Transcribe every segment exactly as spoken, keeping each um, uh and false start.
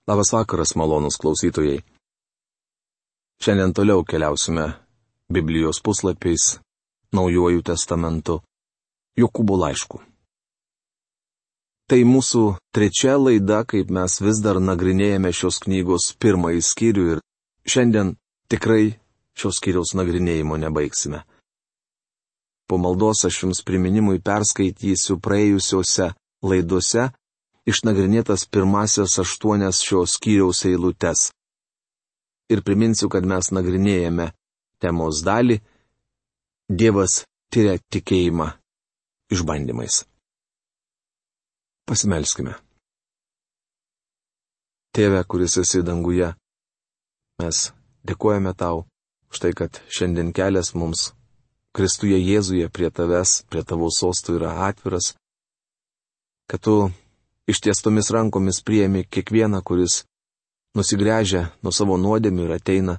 Labas vakaras, malonūs klausytojai. Šiandien toliau keliausime Biblijos puslapiais, Naujuoju testamentu, Jokūbo laišku. Tai mūsų trečia laida, kaip mes vis dar nagrinėjame šios knygos pirmąjį skyrių ir šiandien tikrai šios skyriaus nagrinėjimo nebaigsime. Po maldos aš jums priminimui perskaitysiu praėjusiuose laidose išnagrinėtas pirmasias aštuonias šios skyriaus eilutes. Ir priminsiu, kad mes nagrinėjame temos dalį Dievas tiria tikėjimą išbandymais. Pasimelskime. Tėve, kuris esi danguje, mes dėkojame tau už tai, kad šiandien kelias mums Kristuje Jėzuje prie tavęs, prie tavo sostų yra atviras, kad tu ištiestomis rankomis priėmi kiekvieną, kuris nusigręžia nuo savo nuodėmių ir ateina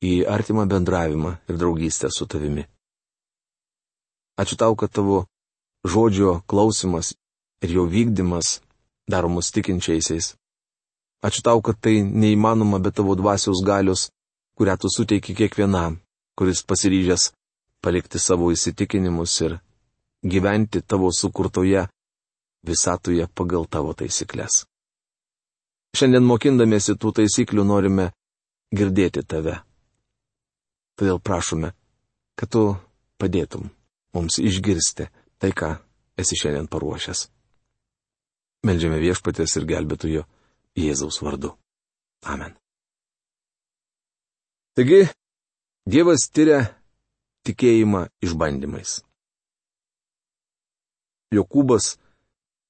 į artimą bendravimą ir draugystę su tavimi. Ačiū tau, kad tavo žodžio klausimas ir jo vykdymas daro mus tikinčiaisiais. Ačiū tau, kad tai neįmanoma be tavo dvasios galios, kurią tu suteiki kiekvienam, kuris pasiryžęs palikti savo įsitikinimus ir gyventi tavo sukurtoje visatoje pagal tavo taisyklės. Šiandien mokindamiesi tų taisyklių norime girdėti tave. Todėl prašome, kad tu padėtum mums išgirsti tai, ką esi šiandien paruošęs. Meldžiame Viešpaties ir gelbėtojo Jėzaus vardu. Amen. Taigi, Dievas tiria tikėjimą išbandymais. Jokūbas,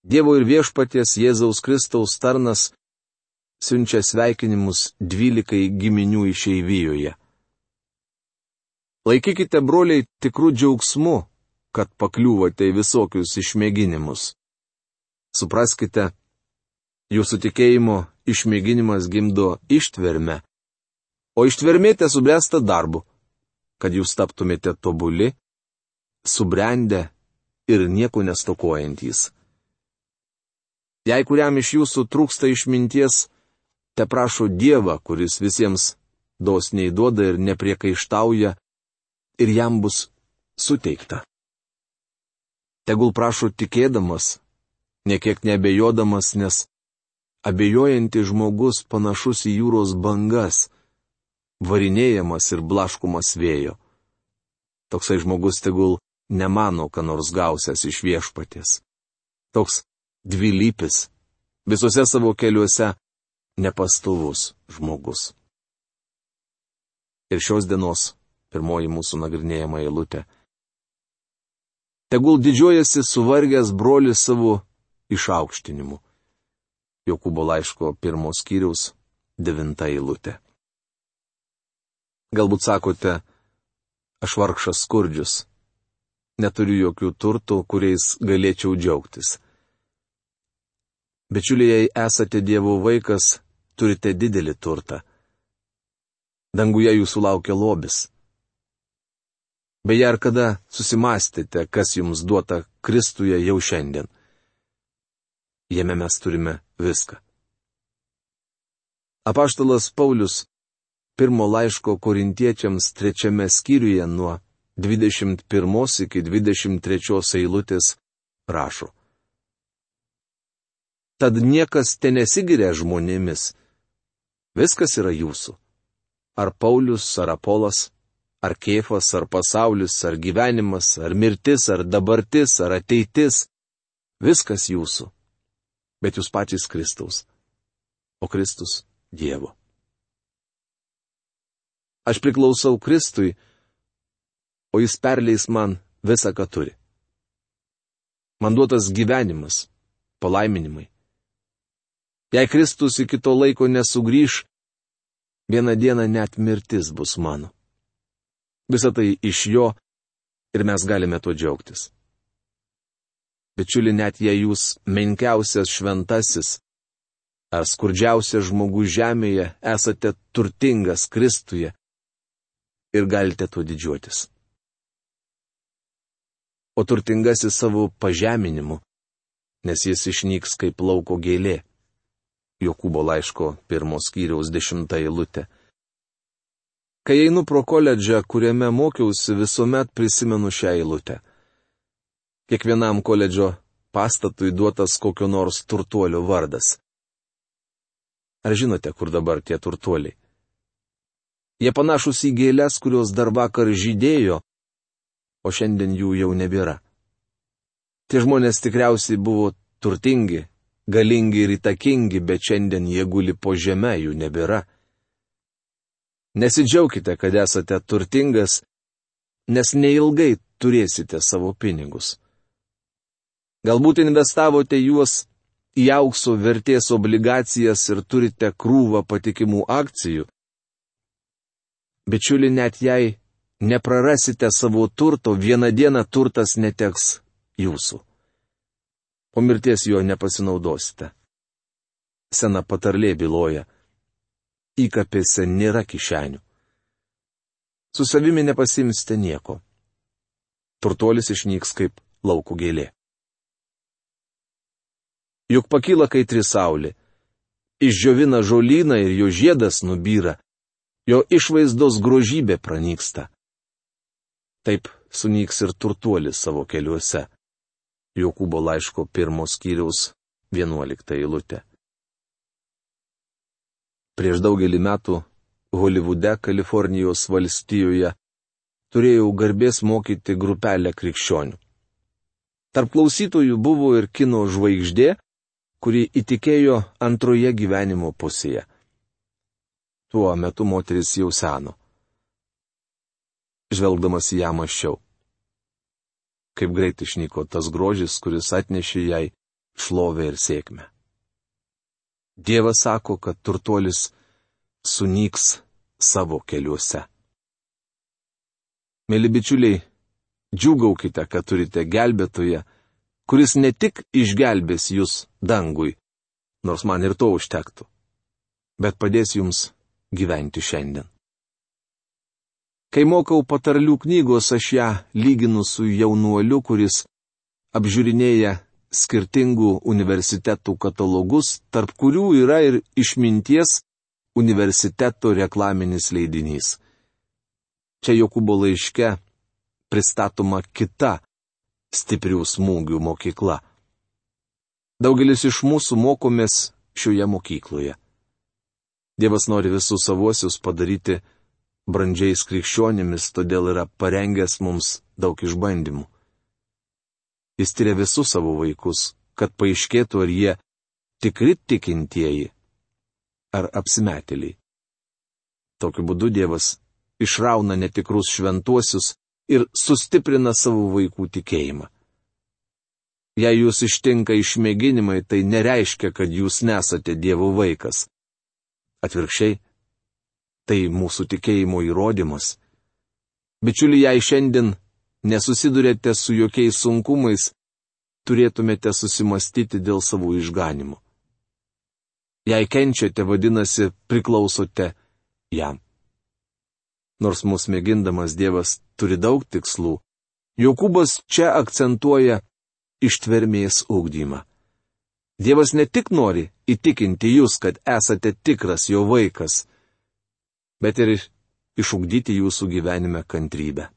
Dievo ir Viešpaties Jėzaus Kristaus tarnas, siunčia sveikinimus dvylikai giminių išeivijoje. Laikykite, broliai, tikrų džiaugsmu, kad pakliūvote į visokius išmėginimus. Supraskite, jūsų tikėjimo išmėginimas gimdo ištvermę, o ištvermė tesubręsta darbu, kad jūs taptumėte tobuli, subrendę ir nieko nestokojantys. Jei kuriam iš jūsų trūksta išminties, te prašo Dievą, kuris visiems dosniai duoda ir nepriekaištauja, ir jam bus suteikta. Tegul prašo tikėdamas, niekiek neabejodamas, nes abejojantis žmogus panašus į jūros bangas, varinėjamas ir blaškomas vėjo. Toksai žmogus tegul nemano, ką nors gausias iš Viešpaties. Toks dvilypis, visose savo keliuose nepastovus žmogus. Ir šios dienos pirmoji mūsų nagrinėjama eilutė. Tegul didžiuojasi suvargęs brolis savo išaukštinimu. Jokūbo laiško pirmos skyriaus devinta eilutė. Galbūt sakote, aš vargšas skurdžius, neturiu jokių turtų, kuriais galėčiau džiaugtis. Bičiuliai, jei esate Dievo vaikas, turite didelį turtą. Danguje jūsų laukia lobis. Beje, ar kada susimastėte, kas jums duota Kristuje jau šiandien? Jame mes turime viską. Apaštalas Paulius pirmo laiško korintiečiams trečiame skyriuje nuo dvidešimt pirmos iki dvidešimt trečios eilutės rašo. Tad niekas te nesigiria žmonėmis. Viskas yra jūsų. Ar Paulius, ar Apolas, ar Kėfas, ar pasaulis, ar gyvenimas, ar mirtis, ar dabartis, ar ateitis. Viskas jūsų. Bet jūs patys Kristaus. O Kristus Dievo. Aš priklausau Kristui, o jis perleis man visą, ką turi. Man duotas gyvenimas, palaiminimai. Jei Kristus iki to laiko nesugrįš, vieną dieną net mirtis bus mano. Visą tai iš jo ir mes galime tuo džiaugtis. Bičiuli, net jei jūs menkiausias šventasis ar skurdžiausias žmogus žemėje esate turtingas Kristuje ir galite tuo didžiuotis. O turtingasis savo pažeminimu, nes jis išnyks kaip lauko gėlė. Jokūbo laiško pirmos skyriaus dešimta eilutė. Kai einu pro koledžą, kuriame mokiausi, visuomet prisimenu šią eilutę. Kiekvienam koledžo pastatui duotas kokio nors turtuolio vardas. Ar žinote, kur dabar tie turtuoliai? Jie panašus į gėles, kurios dar vakar žydėjo, o šiandien jų jau nebėra. Tie žmonės tikriausiai buvo turtingi, galingi ir įtakingi, bet šiandien jie guli po žeme, jų nebėra. Nesidžiaukite, kad esate turtingas, nes neilgai turėsite savo pinigus. Galbūt investavote juos į aukso vertės obligacijas ir turite krūvą patikimų akcijų. Bičiuli, net jei neprarasite savo turto, vieną dieną turtas neteks jūsų. Po mirties jo nepasinaudosite. Sena patarlė byloja: įkapėse nėra kišenių. Su savimi nepasimsite nieko. Turtuolis išnyks kaip lauko gėlė. Juk pakyla kaitri saulė, išdžiovina žolyną ir jo žiedas nubyra, jo išvaizdos grožybė pranyksta. Taip sunyks ir turtuolis savo keliuose. Jokūbo laiško pirmos skyriaus vienuolikta eilutė. Prieš daugelį metų Holivude, Kalifornijos valstijoje, turėjau garbės mokyti grupelę krikščionių. Tarp klausytojų buvo ir kino žvaigždė, kuri įtikėjo antroje gyvenimo pusėje. Tuo metu moteris jau seno. Žvelgdamas į ją mąsčiau. Kaip greit išnyko tas grožis, kuris atnešė jai šlovę ir sėkmę. Dievas sako, kad turtuolis sunyks savo keliuose. Mėly bičiuliai, džiūgaukite, kad turite gelbėtoją, kuris ne tik išgelbės jūs dangui, nors man ir to užtektų, bet padės jums gyventi šiandien. Kai mokau patarlių knygos, aš ją lyginu su jaunuoliu, kuris apžiūrinėja skirtingų universitetų katalogus, tarp kurių yra ir išminties universiteto reklaminis leidinys. Čia Jokūbo laiške pristatoma kita stiprių smūgių mokykla. Daugelis iš mūsų mokomės šioje mokykloje. Dievas nori visus savuosius padaryti brandžiais krikščionimis, todėl yra parengęs mums daug išbandymų. Jis tyria visus savo vaikus, kad paaiškėtų, ar jie tikri tikintieji, ar apsimetėliai. Tokiu būdu Dievas išrauna netikrus šventuosius ir sustiprina savo vaikų tikėjimą. Jei jūs ištinka išmėginimai, tai nereiškia, kad jūs nesate Dievo vaikas. Atvirkščiai, tai mūsų tikėjimo įrodymas. Bičiuli, jei šiandien nesusidurėte su jokiais sunkumais, turėtumėte susimastyti dėl savo išganimo. Jei kenčiate, vadinasi, priklausote jam. Nors mus mėgindamas Dievas turi daug tikslų, Jokūbas čia akcentuoja ištvermės ugdymą. Dievas ne tik nori įtikinti jūs, kad esate tikras jo vaikas, bet ir išugdyti jūsų gyvenime kantrybę.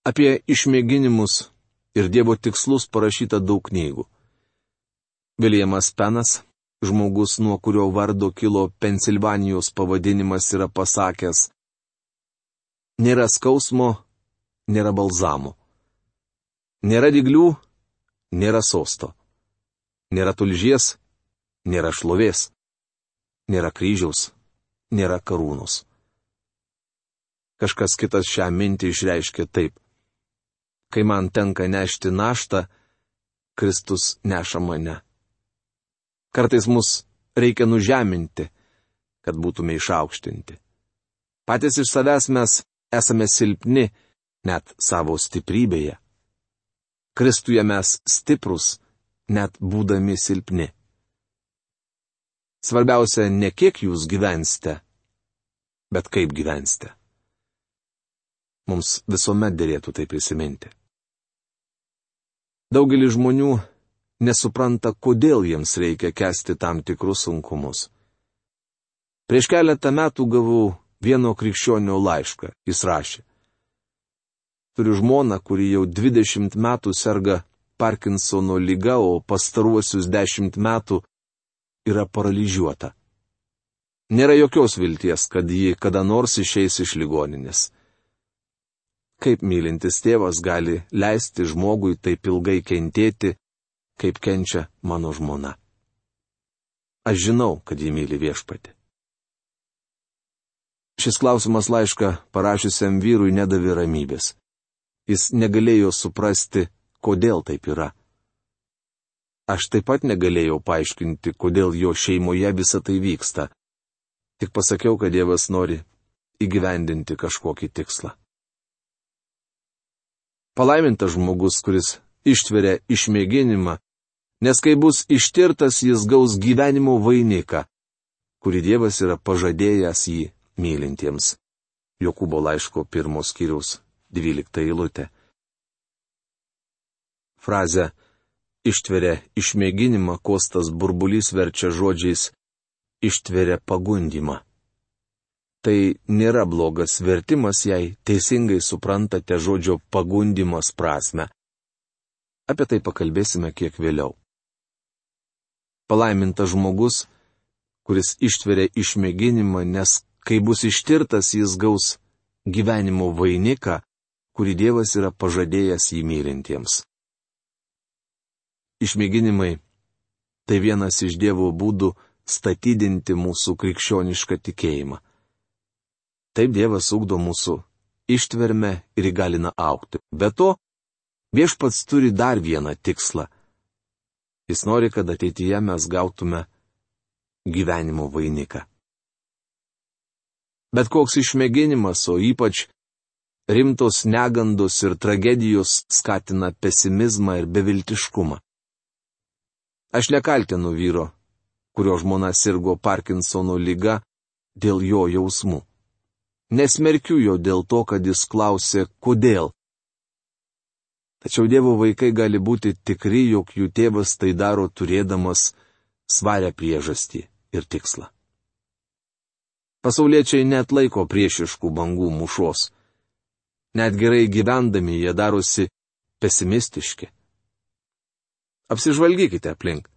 Apie išmėginimus ir Dievo tikslus parašyta daug knygų. Viljamas Penas, žmogus, nuo kurio vardo kilo Pensilvanijos pavadinimas, yra pasakęs: nėra skausmo, nėra balzamo. Nėra dyglių, nėra sosto. Nėra tulžies, nėra šlovės. Nėra kryžiaus, nėra karūnos. Kažkas kitas šią mintį išreiškė taip: kai man tenka nešti naštą, Kristus neša mane. Kartais mus reikia nužeminti, kad būtume išaukštinti. Patys iš savęs mes esame silpni, net savo stiprybėje. Kristuje mes stiprus, net būdami silpni. Svarbiausia, ne kiek jūs gyvensite, bet kaip gyvensite. Mums visuomet derėtų tai prisiminti. Daugelis žmonių nesupranta, kodėl jiems reikia kęsti tam tikrus sunkumus. Prieš keletą metų gavau vieno krikščionio laišką. Jis rašė: Turiu žmoną, kuri jau dvidešimt metų serga Parkinsono liga, o pastaruosius dešimt metų yra paralyžiuota. Nėra jokios vilties, kad ji kada nors išeis iš ligoninės. Kaip mylintis tėvas gali leisti žmogui taip ilgai kentėti, kaip kenčia mano žmona? Aš žinau, kad ji myli Viešpatį. Šis klausimas laišką parašiusiam vyrui nedavė ramybės. Jis negalėjo suprasti, kodėl taip yra. Aš taip pat negalėjau paaiškinti, kodėl jo šeimoje visa tai vyksta. Tik pasakiau, kad Dievas nori įgyvendinti kažkokį tikslą. Palaimintas žmogus, kuris ištveria išmėginimą, nes kai bus ištirtas, jis gaus gyvenimo vainiką, kurį Dievas yra pažadėjęs jį mylintiems. Jokūbo laiško pirmos skyriaus dvylikta eilutė. Frazę ištveria išmėginimą Kostas Burbulys verčia žodžiais ištveria pagundymą. Tai nėra blogas vertimas, jei teisingai suprantate žodžio pagundymas prasme. Apie tai pakalbėsime kiek vėliau. Palaimintas žmogus, kuris ištveria išmėginimą, nes kai bus ištirtas, jis gaus gyvenimo vainiką, kurį Dievas yra pažadėjęs jį mylintiems. Išmėginimai – tai vienas iš Dievo būdų statydinti mūsų krikščionišką tikėjimą. Taip Dievas ugdo mūsų ištvermę ir įgalina augti. Be to, Viešpats turi dar vieną tikslą. Jis nori, kad ateityje mes gautume gyvenimo vainiką. Bet koks išmėginimas, o ypač rimtos negandos ir tragedijos skatina pesimizmą ir beviltiškumą. Aš nekaltinu vyro, kurio žmona sirgo Parkinsono liga, dėl jo jausmų. Nesmerkiu jo dėl to, kad jis klausė, kodėl. Tačiau Dievo vaikai gali būti tikri, jog jų tėvas tai daro turėdamas svarę priežastį ir tikslą. Pasauliečiai neatlaiko priešiškų bangų mūšos. Net gerai gyvendami jie darosi pesimistiški. Apsižvalgykite aplink.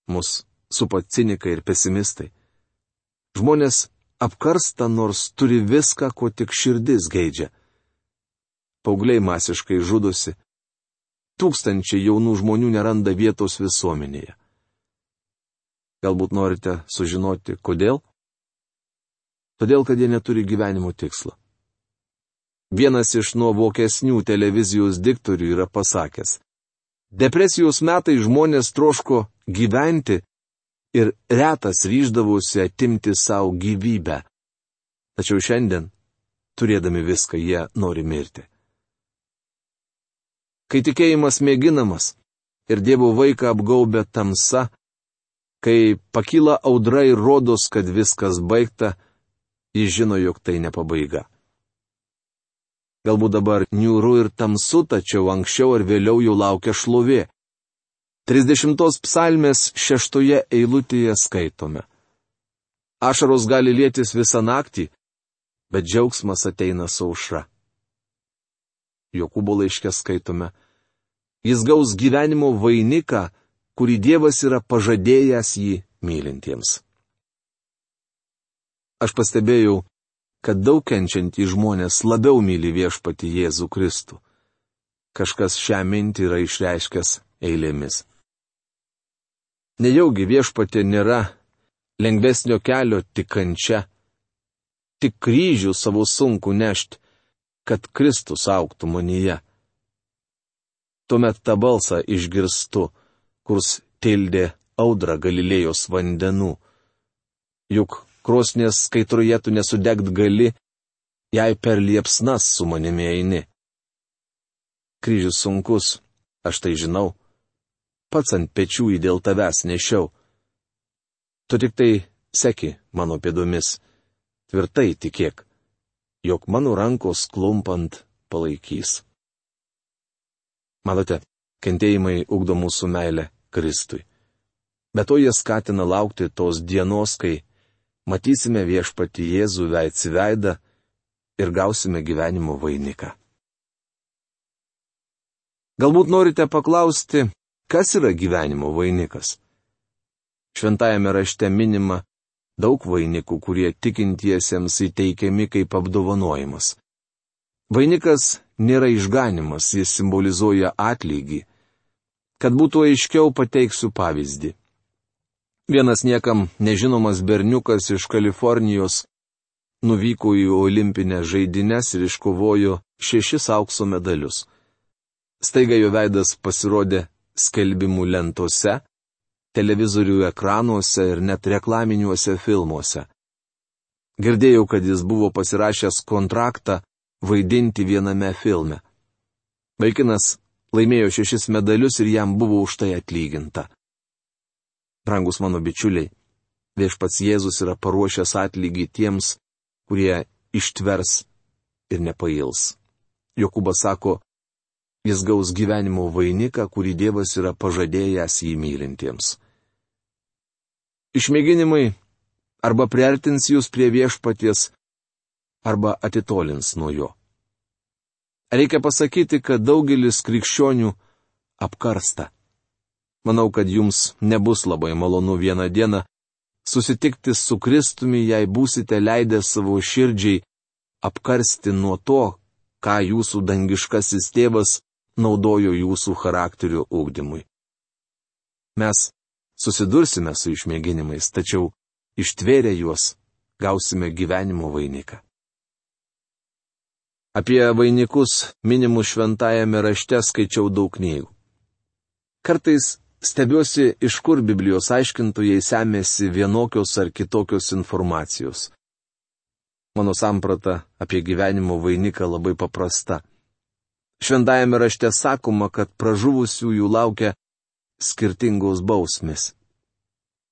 Mus supa cinikai ir pesimistai. Žmonės apkarsta, nors turi viską, ko tik širdis geidžia. Paaugliai masiškai žudosi. Tūkstančiai jaunų žmonių neranda vietos visuomenėje. Galbūt norite sužinoti, kodėl? Todėl, kad jie neturi gyvenimo tikslo. Vienas iš nuovokesnių televizijos diktorių yra pasakęs: Depresijos metai žmonės troško gyventi ir retas ryždavosi atimti savo gyvybę. Tačiau šiandien, turėdami viską, jie nori mirti. Kai tikėjimas mėginamas ir Dievo vaiką apgaubia tamsa, kai pakyla audra ir rodos, kad viskas baigta, jis žino, jog tai ne pabaiga. Galbūt dabar niūru ir tamsu, tačiau anksčiau ar vėliau jau laukia šlovė. trisdešimtos psalmės šeštoje eilutėje skaitome: Ašaros gali lietis visą naktį, bet džiaugsmas ateina su aušra. Jokūbo laiške skaitome: Jis gaus gyvenimo vainiką, kurį Dievas yra pažadėjęs jį mylintiems. Aš pastebėjau, kad daug kenčiantys žmonės labiau myli Viešpatį Jėzų Kristų. Kažkas šią mintį yra išreiškęs eilėmis. Nejaugi Viešpatė nėra lengvesnio kelio tik kančia, tik kryžių savo sunku nešti, kad Kristus augtų manyje. Tuomet tą balsą išgirstu, kurs tildė audrą Galilėjos vandenų. Juk krosnies kaitroje tu nesudegt gali, jei per liepsnas su manimi eini. Kryžius sunkus, aš tai žinau, pats ant pečių jį dėl tavęs nešiau. Tu tik tai seki mano pėdomis, tvirtai tikėk, jog mano rankos klumpant palaikys. Matote, Kentėjimai ugdo mūsų meilę Kristui. Bet to jie skatina laukti tos dienos, kai matysime Viešpatį Jėzų veids į veidą ir gausime gyvenimo vainiką. Galbūt norite paklausti, kas yra gyvenimo vainikas? Šventajame rašte minima daug vainikų, kurie tikintiesiems įteikiami kaip apdovanojimas. Vainikas nėra išganimas, jis simbolizuoja atlygį. Kad būtų aiškiau, pateiksiu pavyzdį. Vienas niekam nežinomas berniukas iš Kalifornijos nuvyko į olimpinės žaidynes ir iškovojo šešis aukso medalius. Staiga jo veidas pasirodė skelbimų lentose, televizorių ekranuose ir net reklaminiuose filmuose. Girdėjau, kad jis buvo pasirašęs kontraktą vaidinti viename filme. Vaikinas laimėjo šešis medalius ir jam buvo už tai atlyginta. Brangus mano bičiuliai, Viešpats Jėzus yra paruošęs atlygį tiems, kurie ištvers ir nepails. Jokūbas sako, jis gaus gyvenimo vainiką, kurį Dievas yra pažadėjęs jį mylintiems. Išmėginimai arba priartins jūs prie Viešpaties, arba atitolins nuo jo. Reikia pasakyti, kad daugelis krikščionių apkarsta. Manau, kad jums nebus labai malonu vieną dieną susitikti su Kristumi, jei būsite leidę savo širdžiai apkarsti nuo to, ką jūsų dangiškasis tėvas naudojo jūsų charakterio ugdymui. Mes susidursime su išmėginimais, tačiau ištvėrę juos gausime gyvenimo vainiką. Apie vainikus minimus šventajame rašte skaičiau daug knygų. Kartais stebiuosi, iš kur Biblijos aiškintojai semėsi vienokios ar kitokios informacijos. Mano samprata apie gyvenimo vainiką labai paprasta. Šventajame rašte sakoma, kad pražuvusiųjų laukia skirtingos bausmės.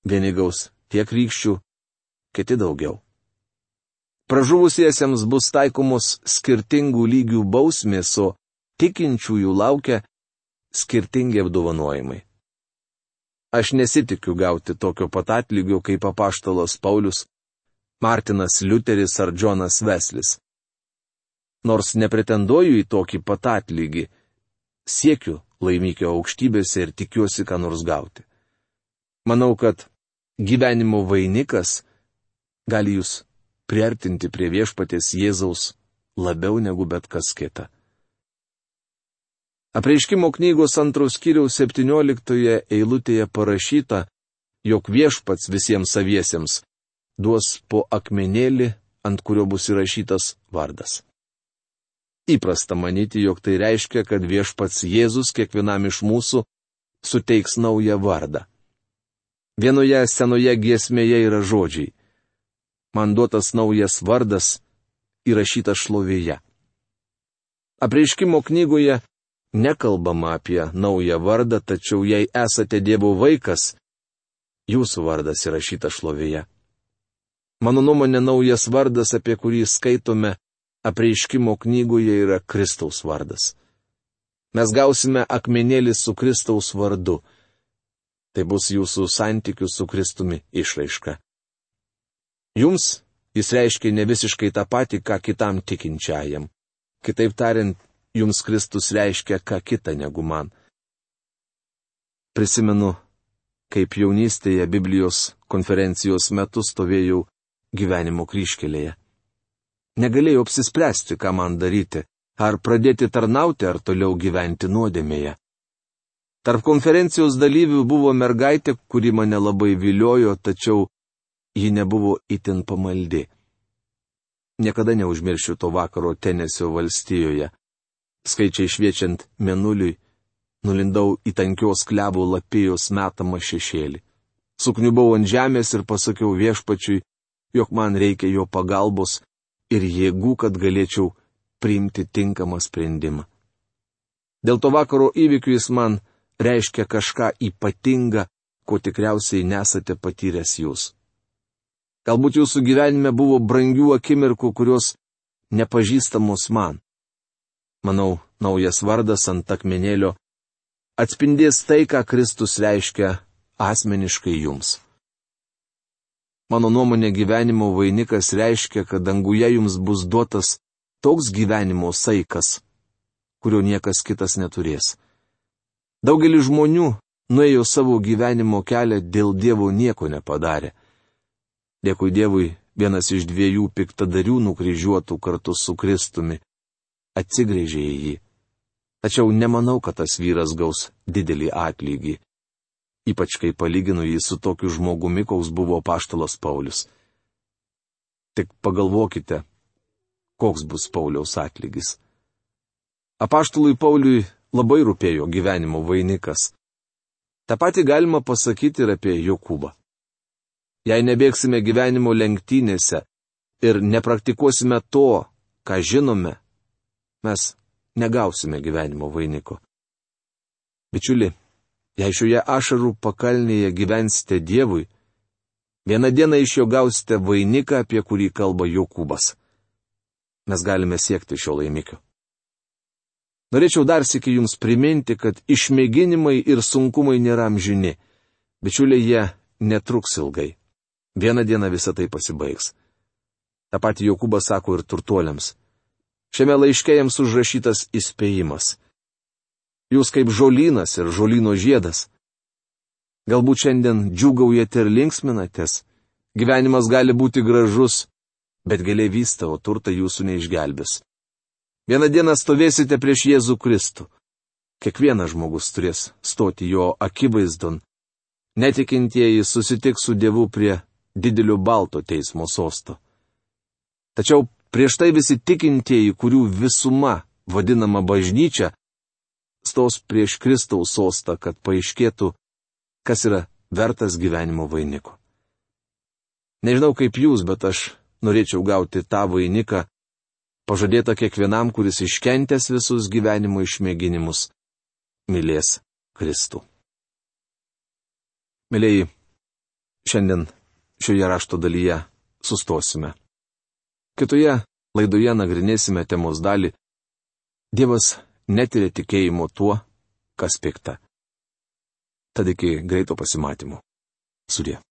Vieni gaus tiek rykščių, kiti daugiau. Pražuvusiesiems bus taikomos skirtingų lygių bausmės, o tikinčiųjų laukia skirtingi apdovanojimai. Aš nesitikiu gauti tokio pat atlygio kaip apaštalas Paulius, Martinas Liuteris ar Džonas Veslis. Nors nepretenduoju į tokį pat atlygį, siekiu laimikio aukštybėse ir tikiuosi ką nors gauti. Manau, kad gyvenimo vainikas gali jūs priartinti prie Viešpaties Jėzaus labiau negu bet kas kita. Apreiškimo knygos antros skyriaus septynioliktoje eilutėje parašyta, jog Viešpats visiems saviesiems duos po akmenėlį, ant kurio bus įrašytas vardas. Įprasta manyti, jog tai reiškia, kad Viešpats Jėzus kiekvienam iš mūsų suteiks naują vardą. Vienoje senoje giesmėje yra žodžiai: man duotas naujas vardas, įrašytas šlovėje. Apreiškimo knygoje nekalbama apie naują vardą, tačiau jei esate Dievo vaikas, jūsų vardas įrašytas šlovėje. Mano nuomonė, naujas vardas, apie kurį skaitome apreiškimo knygoje, yra Kristaus vardas. Mes gausime akmenėlį su Kristaus vardu. Tai bus jūsų santykių su Kristumi išraiška. Jums jis reiškia ne visiškai tą patį, ką kitam tikinčiajam. Kitaip tariant, jums Kristus reiškia ką kita negu man. Prisimenu, kaip jaunystėje Biblijos konferencijos metu stovėjau gyvenimo kryžkelėje. Negalėjau apsispręsti, ką man daryti, ar pradėti tarnauti, ar toliau gyventi nuodėmėje. Tarp konferencijos dalyvių buvo mergaitė, kuri mane labai viliojo, tačiau ji nebuvo itin pamaldi. Niekada neužmiršiu to vakaro Tenesio valstijoje. Skaičiai šviečiant mėnuliui, nulindau į tankios klevų lapijos metamą šešėlį. Sukniubau ant žemės ir pasakiau Viešpačiui, jog man reikia jo pagalbos ir jėgų, kad galėčiau priimti tinkamą sprendimą. Dėl to vakaro įvykių jis man reiškia kažką ypatingą, ko tikriausiai nesate patyręs jūs. Galbūt jūsų gyvenime buvo brangių akimirkų, kurios nepažįstamos man. Manau, naujas vardas ant akmenėlio atspindės tai, ką Kristus reiškia asmeniškai jums. Mano nuomonė, gyvenimo vainikas reiškia, kad danguje jums bus duotas toks gyvenimo saikas, kurio niekas kitas neturės. Daugelis žmonių nuėjo savo gyvenimo kelią, dėl Dievo nieko nepadarė. Dėkui Dievui, vienas iš dviejų piktadarių nukryžiuotų kartu su Kristumi atsigręžė į jį. Tačiau nemanau, kad tas vyras gaus didelį atlygį. Ypač kai palyginu jį su tokiu žmogumi, koks buvo apaštalas Paulius. Tik pagalvokite, koks bus Pauliaus atlygis. Apaštalui Pauliui labai rūpėjo gyvenimo vainikas. Ta pati galima pasakyti ir apie Jokūbą. Jei nebėgsime gyvenimo lenktynėse ir nepraktikuosime to, ką žinome, mes negausime gyvenimo vainiko. Bičiuli, jei šioje ašarų pakalnėje gyvensite Dievui, vieną dieną iš jo gausite vainiką, apie kurį kalba Jokūbas. Mes galime siekti šio laimikio. Norėčiau dar sykį jums priminti, kad išmėginimai ir sunkumai nėra amžini. Bičiuliai, jie netruks ilgai. Vieną dieną visa tai pasibaigs. Ta pati Jokūbas sako ir turtuoliams. Šiame laiške jiems užrašytas įspėjimas. Jūs kaip žolynas ir žolyno žiedas. Galbūt šiandien džiūgaujate ir linksminatės. Gyvenimas gali būti gražus, bet gėlė vysta, o turtai jūsų neišgelbės. Vieną dieną stovėsite prieš Jėzų Kristų. Kiekvienas žmogus turės stoti jo akivaizdon. Netikintieji susitiks su Dievu prie didelio balto teismo sosto. Tačiau prieš tai visi tikintieji, kurių visuma vadinama bažnyčia, stos prieš Kristaus sostą, kad paaiškėtų, kas yra vertas gyvenimo vainiko. Nežinau kaip jūs, bet aš norėčiau gauti tą vainiką, pažadėta kiekvienam, kuris iškentęs visus gyvenimo išmėginimus, mylės Kristų. Mylėjai, šiandien šioje rašto dalyje sustosime. Kitoje laidoje nagrinėsime temos dalį Dievas netiria tikėjimo tuo, kas pikta. Tad iki greito pasimatymo. Sudie.